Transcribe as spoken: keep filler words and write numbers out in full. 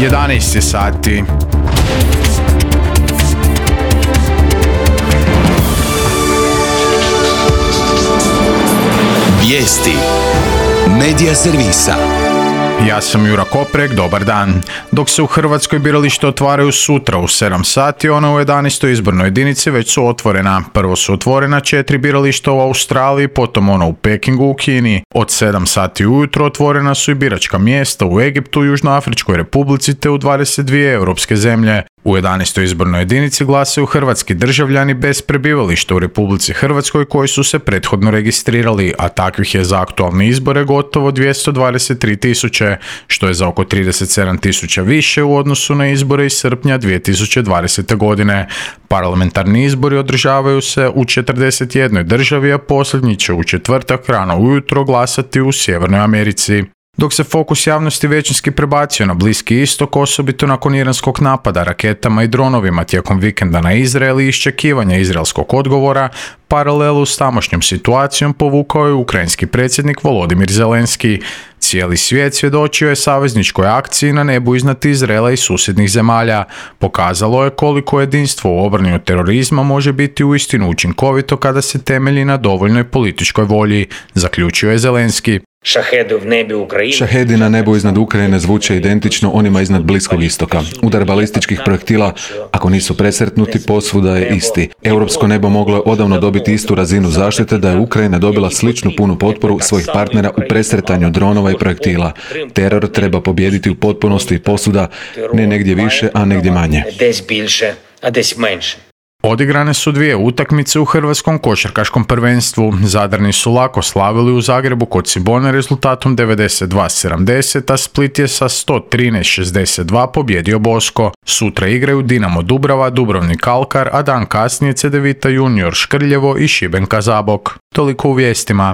jedanaest je sati. Vijesti Medija servisa. Ja sam Jura Koprek, dobar dan. Dok se u Hrvatskoj birališta otvaraju sutra u sedam sati, ona u jedanaestoj izbornoj jedinici već su otvorena. Prvo su otvorena četiri birališta u Australiji, potom ona u Pekingu u Kini. Od sedam sati ujutro otvorena su i biračka mjesta u Egiptu, Južnoafričkoj Republici te u dvadeset dvije europske zemlje. U jedanaestoj izbornoj jedinici glasaju hrvatski državljani bez prebivališta u Republici Hrvatskoj koji su se prethodno registrirali, a takvih je za aktualne izbore gotovo dvjesto dvadeset tri tisuće, što je za oko trideset sedam tisuća više u odnosu na izbore iz srpnja dvije tisuće dvadesete. godine. Parlamentarni izbori održavaju se u četrdeset jednoj državi, a posljednji će u četvrtak rano ujutro glasati u Sjevernoj Americi. Dok se fokus javnosti većinski prebacio na Bliski istok, osobito nakon iranskog napada raketama i dronovima tijekom vikenda na Izrael i iščekivanja izraelskog odgovora, paralelu s tamošnjom situacijom povukao je ukrajinski predsjednik Volodimir Zelenski. Cijeli svijet svjedočio je savezničkoj akciji na nebu iznad Izraela i susjednih zemalja. Pokazalo je koliko jedinstvo u obrani od terorizma može biti uistinu učinkovito kada se temelji na dovoljnoj političkoj volji, zaključio je Zelenski. Šahedi na nebu iznad Ukrajine zvuče identično onima iznad Bliskog istoka. Udar balističkih projektila, ako nisu presretnuti, posvuda je isti. Europsko nebo moglo je odavno dobiti istu razinu zaštite da je Ukrajina dobila sličnu punu potporu svojih partnera u presretanju dronova i projektila. Teror treba pobijediti u potpunosti i posvuda, ne negdje više, a negdje manje. Odigrane su dvije utakmice u hrvatskom košarkaškom prvenstvu. Zadrani su lako slavili u Zagrebu kod Cibone rezultatom devedeset dva sedamdeset, a Split je sa sto trinaest šezdeset dva pobjedio Bosko. Sutra igraju Dinamo Dubrava, Dubrovnik Alkar, a dan kasnije Cedevita Junior Škrljevo i Šibenka Zabok. Toliko u vijestima.